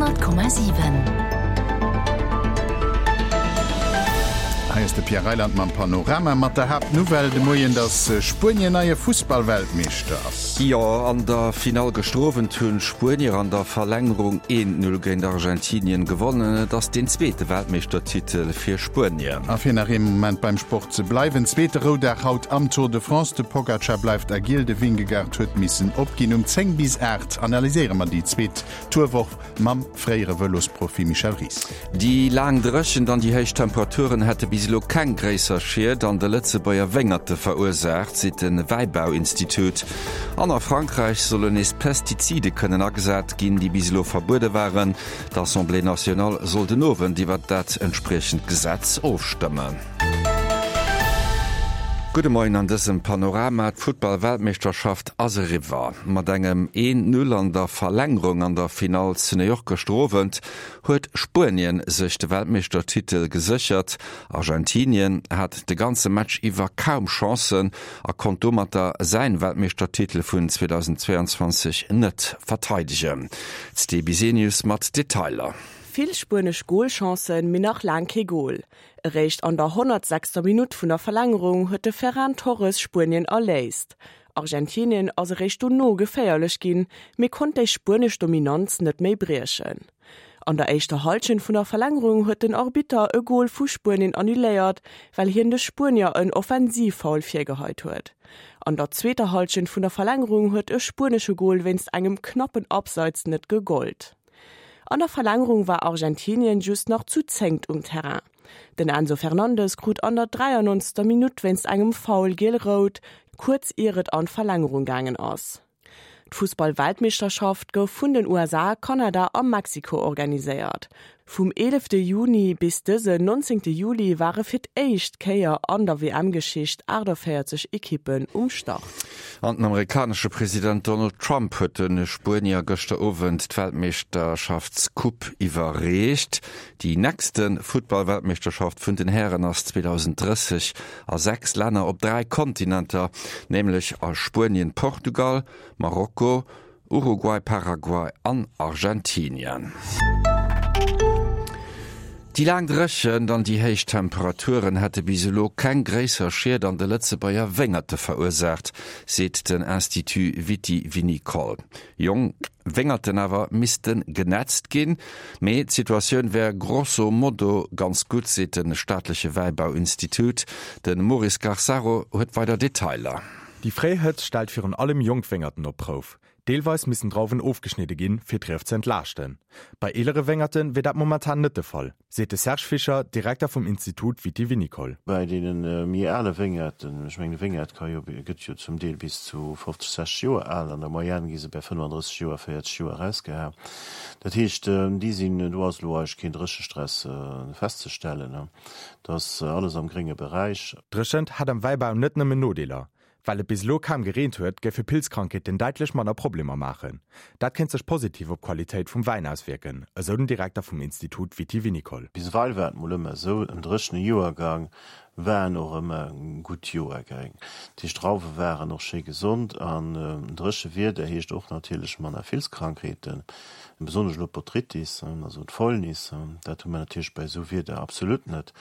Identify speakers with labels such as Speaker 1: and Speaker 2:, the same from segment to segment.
Speaker 1: 100,7.
Speaker 2: Hei ass de Pierre Reyland mam Panorama mat der Haaptnouvelle de Moien, dass Spuenien neie Fussballweltmeeschter ass.
Speaker 3: Jo, an der Finall gëschter Owend hunn d'Spuenier an der Verlängerung 1, 0 géint Argentinien gewonnen. Et ass deen zweete Weltmeeschtertitel fir Spuenien.
Speaker 2: A fir nach ee Moment beim Sport ze bleiwen, Zweete Roudag haut am Tour de France, de Pogacar bleift agil, de Vingegaard huet missen opginn. Um 10 bis 8 analyséiere mer déi zweet Tourwoch mam fréiere Vëlosprofi Michel Ries.
Speaker 3: Déi laang Dréchent an déi héich Temperaturen hätte bis elo keng gréisser Schied an de Lëtzebuerger Wéngerte verursaacht, seet de Wäibauinstitut. An a Frankräich sollen nees Pestizide kënnen agesat ginn, déi bis elo verbuede waren. D'Assemblée nationale soll den Owend iwwer dat entspriechend Gesetz ofstëmmen. Gudde Moien an dësem Panorama. D'Futtball-Weltmeeschterschaft ass eriwwer. Mat engem 1, 0 an der Verlängerung an der Finall zu New York gëschter Owend huet Spuenien sech de Weltmeeschtertitel geséchert. Argentinien hat de ganze Match iwwer kaum Chancen a konnt domatter säin Weltmeeschtertitel vun 2022 net verteidegen. D'Sté Bisenius mat Detailer.
Speaker 4: Vill spuenesch Golchancen, mee nach laang kee Gol. Eréischt an der 106. Minutt vun der Verlängerung huet de Ferran Torres Spuenien erléist. Argentinien ass eréischt dono geféierlech ginn, mee konnt déi spuenesch Dominanz net méi briechen. An der éischter Hallschent vun der Verlängerung huet den Arbitter e Gol vu Spuenien annuléiert, well hien de Spuenier en Offensivfoul virgeheit huet. An der zweeter Hallschent vun der Verlängerung huet e spuenesche Gol wéinst engem knappen Abseits net gegollt. An der Verlängerung war Argentinien just nach zu zéngt um Terrain. Den Enzo Fernandes krut an der 93. Minutt wéinst engem Foul giel-rout, kuerz ier et an d'Verlängerung gaangen ass. D'Fussball-Weltmeeschterschaft gouf vun den USA, Kanada a Mexiko organiséiert. Vum 11 Juni bis dësen 19 Juli ware fir d'éischt Kéier an der WM-Geschicht 48 Ekippen um Start.
Speaker 3: An den amerikanesche President Donald Trump huet de Spuenier gëschter Owend d'Weltmeeschterschaftscoupe iwwerreecht. Déi nächste Futtball-Weltmeeschterschaft vun den Hären ass 2030 a 6 Länner op 3 Kontinenter, nämlech a Spuenien, Portugal, Marokko, Uruguay, Paraguay an Argentinien. Déi laang Dréchent an déi héich Temperaturen hätte bis elo keng gréisser Schied an de Lëtzebuerger Wéngerte verursaacht, seet den Institut Viti-Vinicole. Jonk Wéngerten awer misste genetzt ginn, mee d'Situatioun wär grosso modo ganz gutt, seet de staatleche Wäibauinstitut. De Maurice Garsaro huet weider Detailer.
Speaker 5: Déi fréi Hëtzt stellt virun allem jonk Wéngerten op d'Prouf. Deelweis missen Drauwen ofgeschnidde ginn, fir d'Rief ze entlaaschten. Bei eelere Wéngerte wier dat momentan net de Fall, seet de Serge Fischer, Direkter vum Institut Viti-Vinicole.
Speaker 6: Bei deene méi ale Wéngerten, ech mengen e Wéngert ka jo, gëtt jo zum Deel bis zu 50, 60 Joer al, an der Moyenne gi se bei 35 Joer, 40 Joer erausgeha. Dat heescht, déi sinn, do ass elo eigentlech keen Dréchestress festzestellen. Dat ass alles am grénge Beräich.
Speaker 5: Dréchent hätt am Wäibau net nëmmen Nodeeler. Well et bis elo kaum gereent huet, géife Pilzkrankheeten däitlech manner Problemer maachen. Dat kéint sech positiv op d'Qualitéit vum Wäin auswierken, esou den Direkter vum Institut Viti-Vinicole.
Speaker 6: Bis ewell war et mol ëmmer esou, en dréchene Joergang waren och ëmmer gutt Joergäng. Dat heescht, d'Drauwe waren och schéi gesond an dréche Wieder heescht och natierlech manner Filzkrankheeten. Besonnesch elo d'Botrytis, also d'Fäulnis, dat hu mer natierlech bei esou Wieder absolut net.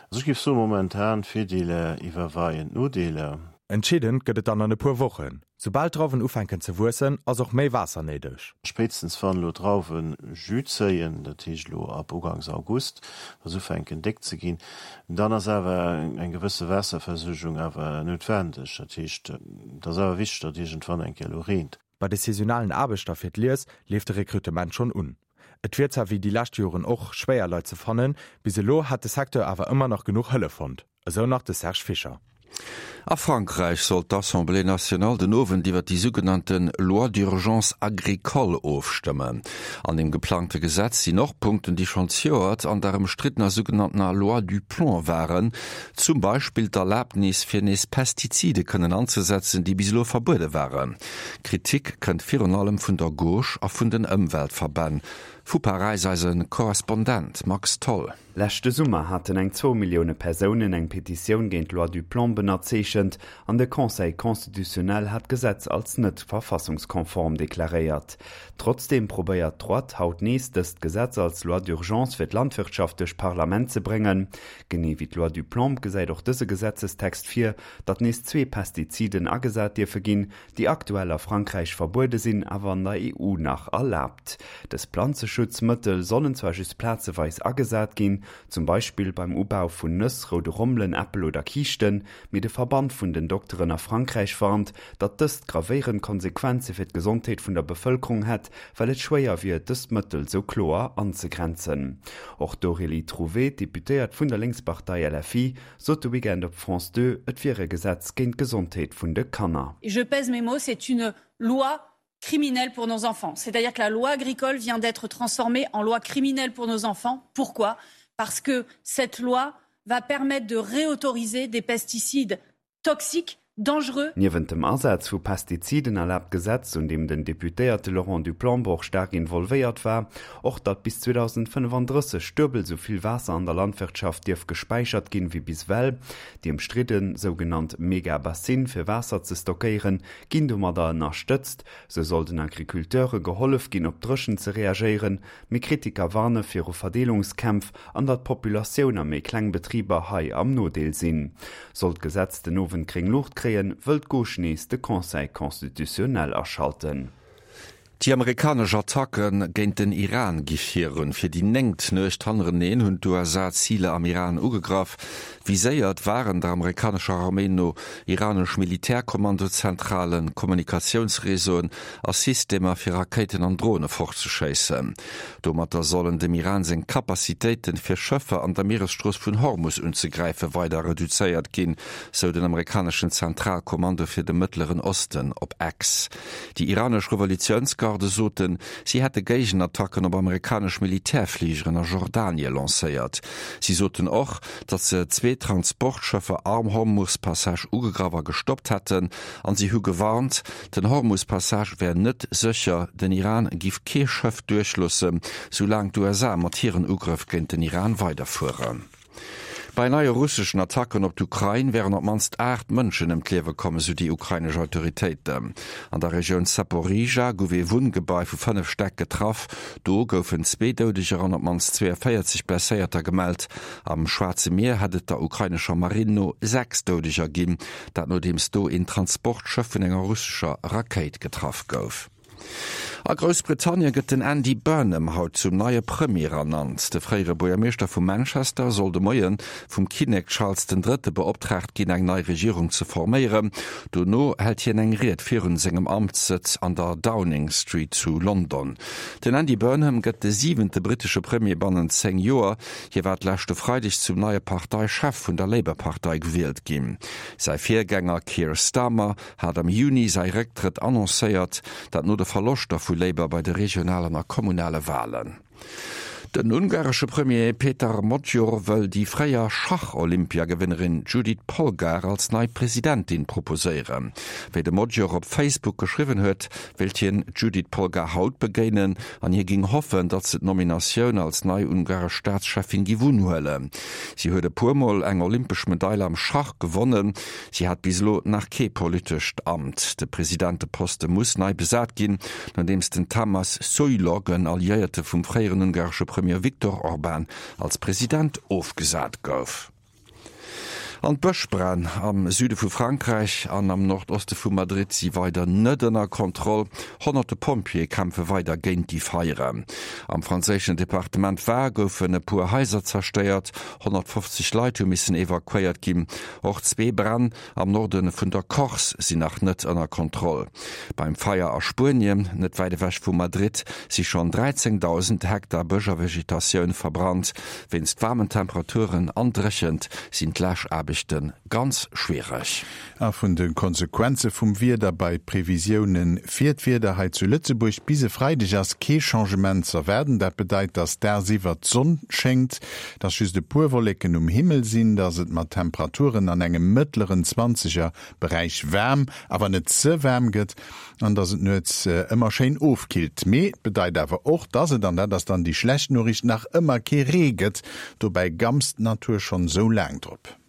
Speaker 6: Also ech géif soen, momentan d'Virdeeler iwwerweien d'Nodeeler.
Speaker 5: Entscheedend gëtt et dann an e puer Wochen. Soubal d'Drauwen ufänken ze wuessen, ass och méi Waasser néideg.
Speaker 6: Spéitstens wann elo d'Drauwe Jus zéien, dat heescht elo ab ugangs August, wa se ufänken déck ze ginn, dann ass awer eng gewësse Waasserversuergung awer noutwendeg. Dat heescht, et ass awer wichteg, datt iergendwann eng Kéier elo reent.
Speaker 5: Bei de saisonalen Aarbechter fir d'Lies leeft de Rekrutement schonn un. Et wier zwar wéi déi lescht Joren och schwéier Leit ze fannen, bis elo hätt de Secteur awer ëmmer nach genuch Hëllef fonnt, esou nach de Serge Fischer.
Speaker 3: A Frankräich soll d'Assemblée nationale den Owend iwwer déi sougenannte Loi d'urgence agricole ofstëmmen. An dem geplangte Gesetz sinn och Punkten, déi schonn zejoert an der ëmstriddener sougenanntener Loi Duplomb waren, Zum Beispill d'Erlabnis fir nees Pestizide kënnen anzesetzen, déi bis elo verbuede waren. Kritik kënnt virun allem vun der Gauche a vun den Ëmweltverbänn. Vu Paräis eise Korrespondent Max Tholl.
Speaker 7: Leschte Summer haten eng zwou Millioune Persounen eng Petitioun géint d'Loi Duplomb.
Speaker 1: ënnerzeechent an de Conseil constitutionnel hat d'Gesetz als net verfassungskonform deklaréiert. Trotzdeem probéiert d'Droite haut nees dëst Gesetz als Loi d'urgence fir d'Landwirtschaft duerch d'Parlament ze bréngen. Genee wéi d'Loi Duplomb gesäit och dëse Gesetzestext vir, datt nees zwee Pestiziden agesat dierfe ginn, déi aktuell a Frankräich verbuede sinn, awer an der EU nach erlaabt. Dës Planzeschutzmëttel sollen zwar just plazeweis agesat ginn, zum Beispill beim Ubau vun Nëss, roude Rommelen, Äppel oder Kiischten, mee de Verband vun den Dokteren a Frankräich warnt, datt dëst gravéierend Konsequenze fir d'Gesondheet vun der Bevëlkerung hätt, well et schwéier wier, dës Mëttel sou kloer anzegrenzen. Och d'Aurélie Trouvé, Deputéiert vun der Lénkspartei LFI, sot de Weekend op France 2, et wier e Gesetz géint d'Gesondheet vun de Kanner.
Speaker 7: Et je pèse mes mots, c'est une loi criminelle pour nos enfants. C'est-à-dire que la loi agricole vient d'être transformée en loi criminelle pour nos enfants. Pourquoi Parce que cette loi va permettre de réautoriser des pesticides toxiques dangereux.
Speaker 1: Niewent dem Asaz vu Pestiziden erlaabt d'Gesetz, un deem den Deputéierte Laurent Duplan och staark involvéiert war, och datt bis 2035 duebel sou vill Waasser an der Landwirtschaft dierf gespäichert ginn, wéi bis ewell. Déi ëmstridde sougenannt Mega-Bassine fir Waasser ze stockéieren, ginn domadder ënnerstëtzt. Sou soll den Agriculteure gehollef ginn, op d'Dréchent ze reagéieren. Mee Kritiker warne viru Verdeelungskämpf an datt d'Populatioun a méi kleng Betriber hei am Nodeel sinn. Sollt d'Gesetz den Owend gréng Luucht kréien, wëll d'Gauche nees de Conseil constitutionnel aschalten.
Speaker 3: Déi amerikanesch Attacke géint den Iran gi virun. Fir déi néngt Nuecht hannereneen hunn d'USA Ziler am Iran ugegraff. Viséiert waren der amerikanescher Arméi no iranesch Militärkommandozentralen, Kommunikatiounsreseauen a Systemer fir Rakéiten an Drone fortzeschéissen. Domatter sollen dem Iran seng Capacitéiten, fir Schëffer an der Mieresstrooss vun Hormus unzegräifen, weider reduzéiert ginn, sou den amerikaneschen Zentralkommando fir de Mëttleren Osten op X. Déi iranesch Revolutiounsgarde soten, si hätte Géigenattacken op amerikanesch Militärfligeren a Jordanie lancéiert. Si soten och, datt se zwee Transportschëffer am Hormus-Passage ugegraff a gestoppt hätten, an si hu gewarnt, Den Hormus-Passage wär net sécher, den Iran giff kee Schëff duerchloossen, soulaang d'USA mat hiren Ugrëff géint den Iran weiderfueren. Bei neie russeschen Attacken op d'Ukrain wären op d'mannst 8 Mënschen ëm d'Liewe komm, esou déi ukrainesch Autoritéiten. An der Regioun Saporizhzhia gouf ee Wunngebai vu 5 Stäck getraff. Do goufen zwee Doudeger an op d'mannst 42 Blesséierter gemellt. Am Schwaarze Mier hätt et der ukrainescher Marinn no 6 Doudeger ginn. Dat nodeems do een Transportschëff vun enger russescher Rakéit getraff gouf. A Groussbritannien gëtt den Andy Burnham haut zum neie Premier ernannt. De fréiere Buergermeeschter vu Manchester soll de Moie vum Kinnek Charles den Drëtte beoptraagt ginn, eng nei Regierung ze forméieren. Dono hält hien eng Ried virun sengem Amtssëtz an der Downing Street zu London. Den Andy Burnham gëtt de siwente brittesche Premier bannent 10 Joer. Hie war d'leschte Freideg zum neie Parteichef vun der Labour-Partei gewielt ginn. Säi Virgänger Keir Starmer hat am Juni säi Récktrëtt annoncéiert, dat no de Verloschter vu Labour bei de regionalen a kommunale Walen. Den ungaresche Premier Peter Magyar wëll déi fréier Schach-Olympiagewënnerin Judit Polgar als nei Presidentin proposéieren. Wéi de Magyar op Facebook geschriwwen huet, wéilt hien d'Judit Polgar haut begéinen an hie ging hoffen, datt se d'Nominatioun als nei ungaresch Staatscheffin giff unhuelen. Si huet e puer Mol eng olympesch Medail am Schach gewonnen. Si hat bis elo nach kee politescht Amt. De Presidenteposte muss nei besat ginn, nodeems den Tamás Sulyok, en Alliéierte vum fréieren ungaresche Premier Viktor Orbán, als President ofgesat gouf. An d'Bëschbränn am Süde vu Frankräich an am Nordoste vu Madrid si weider net ënner Kontroll. Honnerte Pompjeeë kämpfe weider géint déi Feieren. Am franséischen Departement Var goufen e puer Haiser zerstéiert, 150 Leit hu missen evakuéiert ginn. Och zwee Bränn am Norde vun der Corse sinn nach net ënner Kontroll. Beim Feier a Spuenien, net wäit ewech vu Madrid, si schonn 13.000 Hektar Bësch a Vegetatioun verbrannt. Wéinst waarmen Temperaturen an Dréchent sinn d'Läschaarbechte ganz schwiereg.
Speaker 2: A vun de Konsequenze vum Wieder bei d'Previsioune fir d'Wieder hei zu Lëtzebuerg, Bis e Freideg ass kee Changement z'erwaarden. Dat bedeit, dass dagsiwwer d'Sonn schéngt, dass just e puer Wolleken um Himmel sinn, dass et mat Temperaturen an engem mëttleren Zwanzeger Beräich waarm, awer net ze waarm gëtt an dass et nuets ëmmer schéin ofkillt. Mee et bedeit awer och, dass et, an dat ass dann déi schlecht Noriicht, nach ëmmer kee Ree gëtt. Dobäi gammst d'Natur schonn esou laang drop.